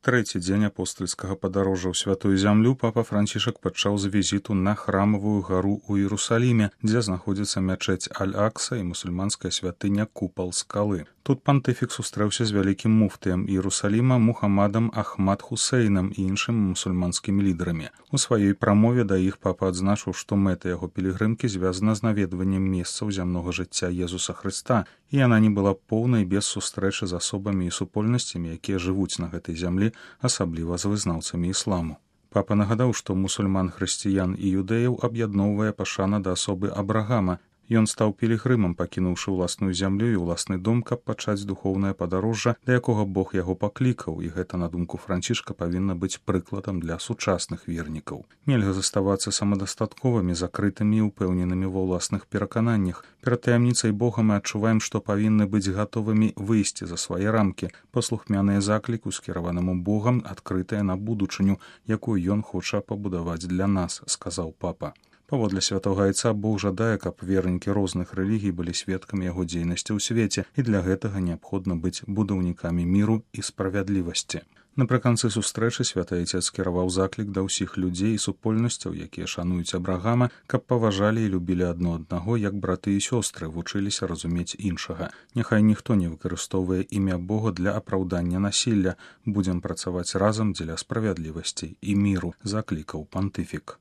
Трэці дзень апостальскага падарожжа ў святую зямлю папа Францішак пачаў з візіту на храмавую гару ў Іерусаліме, дзе знаходзіцца мячэць Аль-Акса і мусульманская святыня Купал скалы. Тут пантыфік сустрэўся з вялікім муфтыем Іерусаліма Мухаммадам Ахмад Хусейнам і іншымі мусульманскімі лідарамі. У сваёй прамове да іх папа адзначыў, што мэта яго пілігрымкі звязана з наведваннем месцаў зямнога жыцця Езуса Хрыста, і яна не была поўнай без сустрэчы з асобамі і супольнасцямі, якія жывуць на гэтай зямлі, асабліва з вызнаўцамі ісламу. Папа нагадаў, што мусульман, хрысціян і юдэяў аб'ядноўвае пашана да асобы Абрагама. Ён стаў пілігрымам, пакінуўшы ўласную зямлю і ўласны дом, каб пачаць духоўнае падарожжа, да якога Бог яго паклікаў, і гэта, на думку Францішка, павінна быць прыкладам для сучасных вернікаў. Нельга заставацца самадастатковымі, закрытымі і ўпэўненымі ва ўласных перакананнях. Перад таямніцай Бога мы адчуваем, што павінны быць гатовымі выйсці за свае рамкі, паслухмяныя закліку, скіраванаму Богам, адкрытыя на будучыню, якую ён хоча пабудаваць для нас, сказаў папа. Паводле святога айца Бог жадае, каб вернікі розных рэлігій былі сведкамі яго дзейнасці ў свеце, і для гэтага неабходна быць будаўнікамі міру і справядлівасці. Напрыканцы сустрэчы святы айцец скіраваў заклік да ўсіх людзей і супольнасцяў, якія шануюць Абрагама, каб паважалі і любілі адно аднаго, як браты і сёстры, вучыліся разумець іншага. Няхай ніхто не выкарыстоўвае імя Бога для апраўдання насілля. Будзем працаваць разам дзеля справядлівасці і міру, заклікаў пантыфік.